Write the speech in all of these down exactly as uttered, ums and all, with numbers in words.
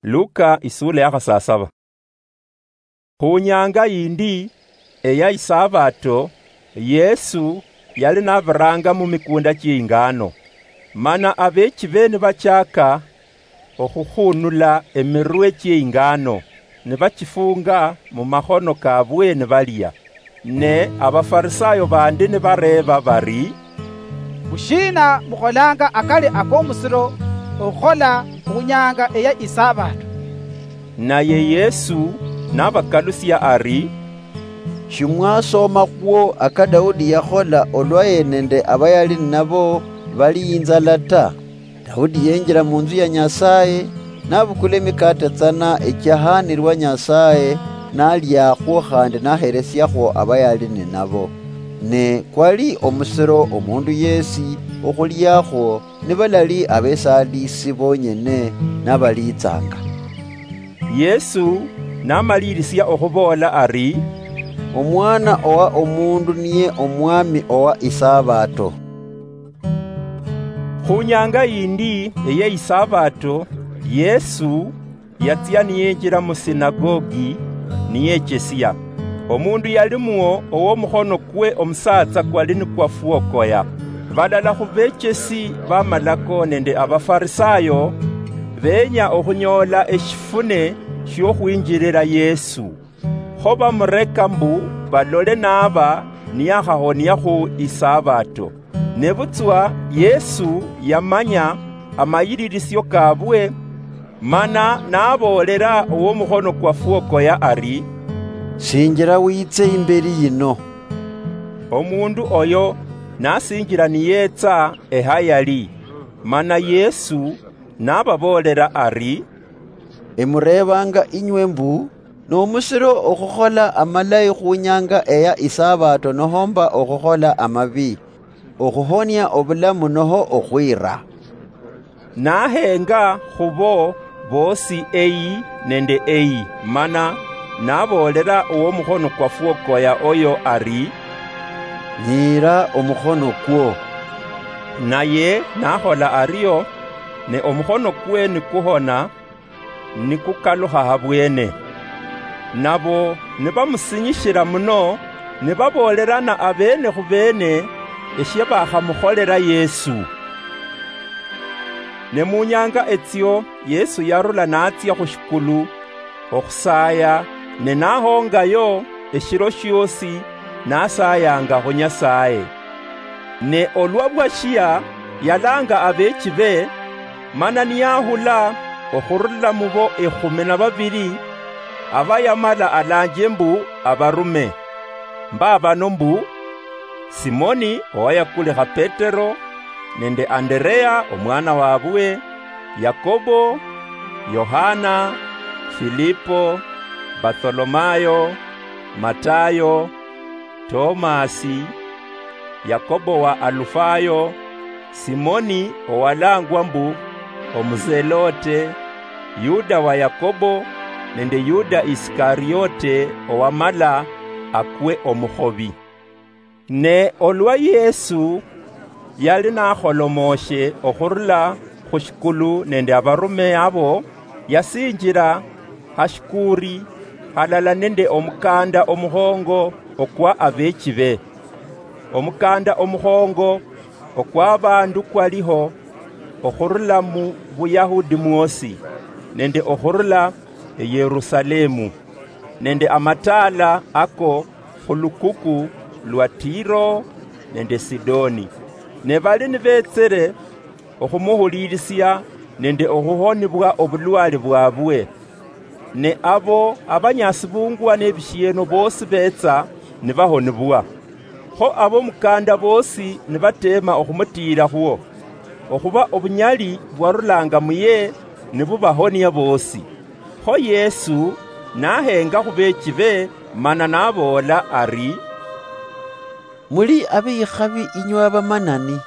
Luka isula ya khasasaba. Khu nyanga yindi eya Isabato, Yesu yali nabiranga mu mikunda chie ingano, mana abechibe nibachaka okhukhunula emirwe chie ingano, nibachifunga mu makhono kabwe nibalia. Ne Abafarisayo bandi nibareeba bari, "Bushiina mukholanga akali akomusiro okhukhola khunyanga eya Isabato?" Naye Yesu nabakalusia ari, "Shimwasomakhwo aka Daudi yakhola olwa ye nende abayali ninabo bali inzala ta? Daudi yenjila munzu ya Nyasaye, nabukula emikate tsana echiahanirwa Nyasaye, naliakhwo khandi naheresiakhwo abayali ninabo. Ne kwali omusiro omundu yesi okhuliakhwo nibalali abesalisi bonyene nabalitsanga." Yesu namalirisia okhuboola ari, "Omwana owa omundu niye omwami owa Isabato." Khu nyanga yindi eye Isabato, Yesu yatsia niyinjira mu sinagogi niyechesia. Omundu yalimwo owomukhono kwe omusatsa kwali nikwafwokoya. Balala khu bechesi bamalako nende Abafarisayo benya okhunyoola eshifune shiokhwinjirira Yesu. Kho bamureka mbu balole naba niyakhahonia khu Isabato. Nebutswa Yesu yamanya amayiririsio kabwe, mana naboolera owomukhono kwafwokoya ari, "Sinjira witse imberi yino." Omundu oyo nasinjira niyetsa ehayali, mana Yesu nababoolera ari, "Emureebanga inywe mbu, nomusiro okhukhola amalayi khunyanga eya Isabato nohomba okhukhola amabi, okhuhonia obulamu noho okhwira?" Nahenga khubo boosi eyi nende eyi, mana naboolera owomukhono kwafwokoya oyo ari, "Nyiira omukhono kwo." Naye nakhola ario, ne omukhono kwe nikuhona, nikukalukha habwene. Nabo nibamusinyishira muno, nibaboolerana abeene khubeene eshia bakhamukholera Yesu. Ne munyanga etsio Yesu yarula natsia khushikulu okhusaya, ne nahongayo eshiro shiosi nasayanga khu Nyasaye. Ne olwa bwashia, yalanga abeechibe, mana niyahula okhurula mubo ekhumi na babiri, aba yamala alanje mbu abarume. Mba bano mbu, Simoni owayakulikha Petero, nende Anderea omwana wabwe, Yakobo, Yohana, Filipo, Bartholomayo, Matayo, Tomasi, Yakobo wa Alufayo, Simoni owalangwa mbu Omuzelote, Yuda wa Yakobo, nende Yuda Isikariote owamala akwe omukhobi. Ne olwa Yesu yali nakholomooshe okhurula khushikulu nende abarume abo, yasinjira hashikuuri halala nende omukanda omukhongo okwa abeechibe. Omukanda omukhongo okwa abandu kwaliho okhurula mu Buyahudi mwosi, nende okhurula eYerusalemu, nende amataala ako khulukuku lwa Tiro nende Sidoni. Ne bali nibetsere okhumuhulirisia nende okhuhonibwa obulwale bwabwe. Ne abo abanyasibungwa nebishieno bosi betsa nibahonibwa. Kho abomukanda bosi nibateema okhumutiirakhwo, okhuba obunyali bwarulanga muye nibubahonia bosi. Kho Yesu nahenga khubeechibe mana naboola ari, "Muli abeyikhabi inywe abamanani,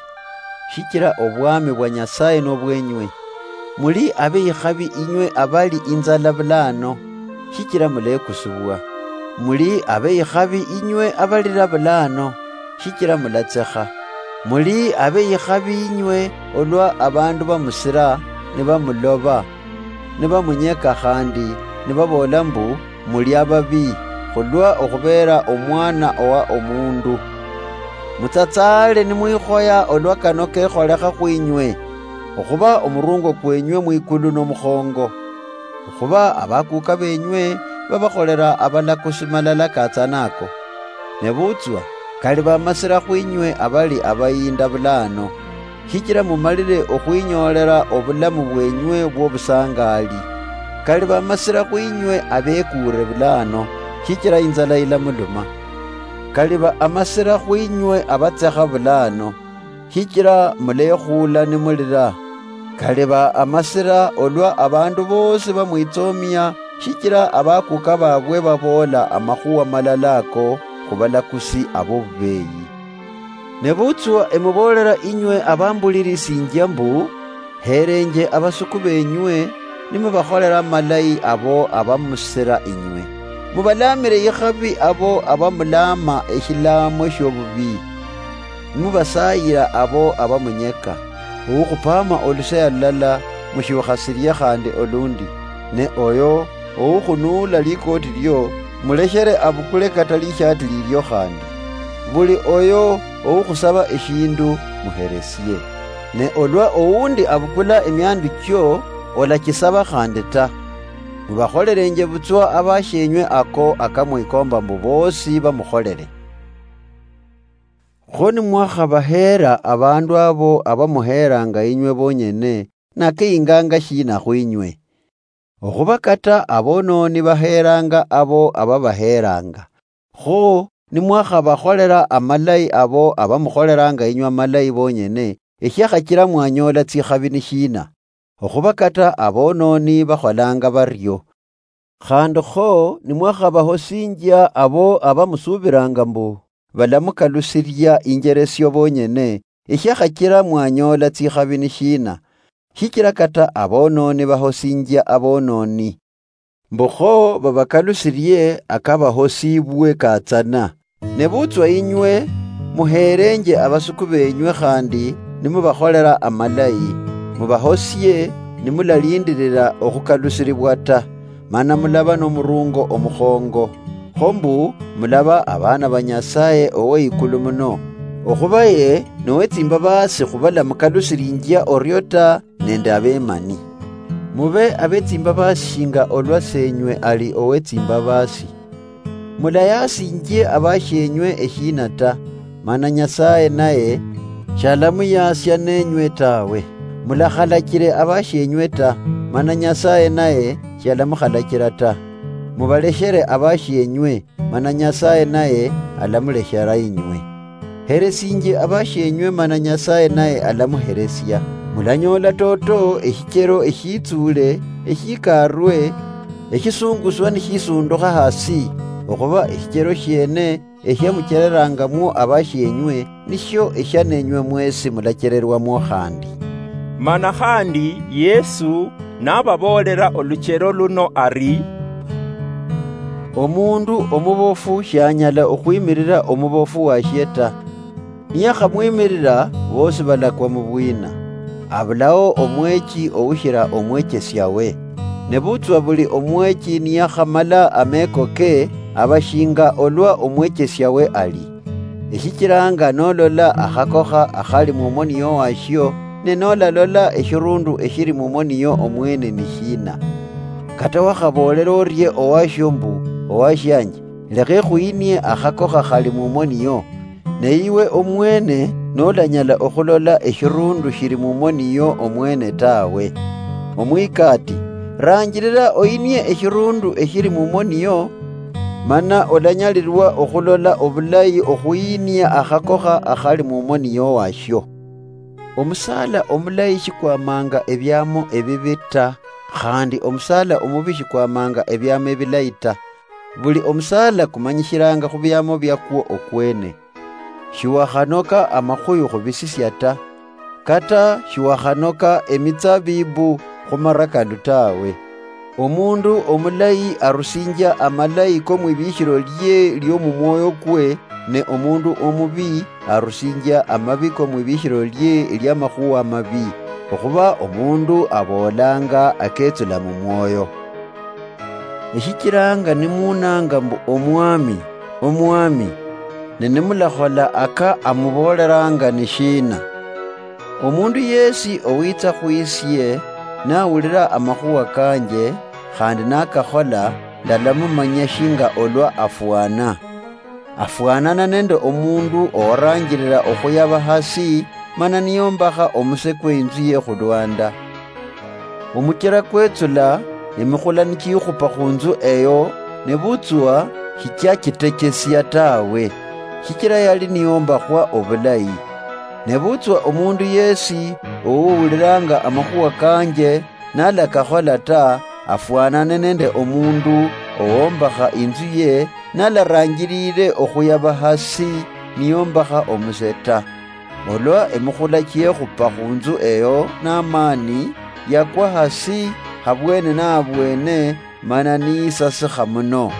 shichila obwami bwa Nyasaye nobwenywe. Muli abeyikhabi inywe abali inzala bulano, shichila mulekusibwa. Muli abeyikhabi inywe abalira bulano, shichila mulatsekha. Muli abeyikhabi inywe olwa abandu bamusira nibamuloba." nibamunyeka khandi nibaboola mbu, muli ababii, khulwa okhubeera Omwana owa Omundu. Mutsatsaale nimwikhoya olwa kano kekholekha khwinywe, okhuba omurungo kwenywe mwikulu nomukhongo. Okhuba abakuuka benywe babakholela abalakusi malala katsana ako. Nebutswa, kali bamasila khwinywe abali abayinda bulaano, shichila mumalile okhwinyoolela obulamu bwenywe bwobusangaali. Kali bamasila khwinywe abekuure bulaano, shichila inzala ilamuluma. Kali ba amasila khwinywe abatsekha bulaano, shichila mulekhuula nimulila. Kali ba amasila olwa abandu boosi bamwitsoomia, shichila abakuuka baabwe baboola amakhuwa malala ako khubalakusi abobubeeyi. Nebutswa emuboolela inywe abambulilisinjia mbu, heelenje abasuku benywe, nimubakholela amalayi abo abamusila inywe. Mubalaamile ikhabi abo abamulaama eshilaamo shiobubii. Nimubasaayila abo abamunyeka. Owukhupaama oluseya lulala, mushiukha sirie khandi olundi, ne oyo owukhunuula likooti lio, muleshere abukule kata lishaati lilio khandi. Buli oyo owukhusaba eshindu, muheresie. Ne olwa owundi abukula emiandu chio, olachisaba khandi ta. Mubakholelenje butswa abashienywe ako akamwikomba mbu boosi bamukholele. Kho nimwakhabaheera abandu abo abamuheeranga inywe bonyene, nakeyinganga shina khwinywe? Okhuba kata abonooni baheeranga abo ababaheeranga. Kho nimwakhabakholela amalayi abo abamukholelanga inywe amalayi bonyene, eshiakhachila mwanyoola tsikhabi ni shina? Okhuba kata abonooni bakholanga bario. Khandi kho nimwakhabahosinjia abo abamusuubilanga mbu balamukalusilia injeresio bonyene, eshiakhachila mwanyoola tsikhabi ni shina? Shichila kata abonooni bahosinjia abonooni. Mbu kho babakalusilie akabahosiibwe katsana. Nebutswa inywe, muheelenje abasuku benywe khandi nimubakholela amalayi, mubahosie nimulalindilila okhukalusilibwa ta, mana mulaba nomurungo omukhongo, kho mbu mulaba abaana ba Nyasaye Oweikulu Muno. Okhuba ye nowetsimbabaasi khubalamukalusilinjia orio ta, nende abemani. Mube abetsimbabaasi shinga olwa Senywe ali owetsimbabaasi. Mulayaasinjie abashienywe eshiina ta, mana Nyasaye naye shalamuyaasia nenywe tawe. Mulakhalachile abashienywe ta, mana Nyasaye naye shalamukhalachila ta. Mubaleshere abashienywe, mana Nyasaye naye alamuleshera inywe. Heresinjie abashienywe, mana Nyasaye naye alamuheresia. Mulanyoola toto eshichelo eshiitsuule, eshikarwe, eshisunguswa nishisundukha hasi, okhuba eshichelo shiene eshiamuchelelangamwo abashienywe, nishio eshianenywe mwesi mulachelelwamwo khandi. Mana khandi Yesu nababoolela oluchelo luno ari, omundu omubofu shianyala okhwimirira omubofu washie ta. Niyakhamwimirira, bosi balakwa mu bwina. Abulao omwechi oushila omwechesiawe. Nebutswa buli omwechi niyakhamala ameko ke, aba shinga olwa omwechesiawe ali. Eshichilanga nolola akhakokha akhali mumoni yo washio, ne nolalola eshirundu eshili mumoni yo omwene ni shina? Kata wakhaboolela orie owashio mbu, owashianje, lekha ekhuyinie akhakokha khali mumoni yo, ne iwe omwene nolanyala okhulola eshirundu shili mumoni yo omwene tawe. Omwikati, ranjilila oyinie eshirundu eshili mumoni yo, mana olanyalilwa okhulola obulayi okhuyinia akhakokha akhali mumoni yo washio. Omusaala omulayi shikwamanga ebiamo ebibi ta, khandi omusaala omubi shikwamanga ebiamo ebilayi ta. Buli omusaala kumanyishilanga khubiamo biakwo okwene. Shiwakhanoka amakhuyu khubisisia ta, kata shiwakhanoka emitsabibu khumarakalu tawe. Omundu omulayi arusinjia amalayi komwibishilo lie liomumwoyo kwe, ne omundu omubi arusinjia amabi komwibishilo lie liamakhuwa amabi. okhuba omundu aboolanga aketsula mumwoyo. Eshichilanga nimunanga mbu, "Omwami, Omwami," ne nimulakhola aka amubooleranga ni shina? Omundu yesi owitsa khwisie, nawulira amakhuwa kanje, khandi nakakhola, ndalamumanya shinga olwa afwana. Afwanana nende omundu owaranjirira okhuyaba hasi, mana niyombakha omuse kwe inzu ye khulwanda. Omuchera kwetsula, emikhula nichikhupa khunzu eyo, nebutswa shichiachitechesia tawe, shichira yali niyombakhwa obulayi. Nebutswa omundu yesi owuwuliranga amakhuwa kanje, nalakakhola ta, afwanane nende omundu owombakha inzu ye, nalaranjirire okhuyaba hasi niyombakha omuse ta. Olwa emikhula chiekhupa khunzu eyo namani, yakwa hasi habwene nabwene, mana niyisasikha muno.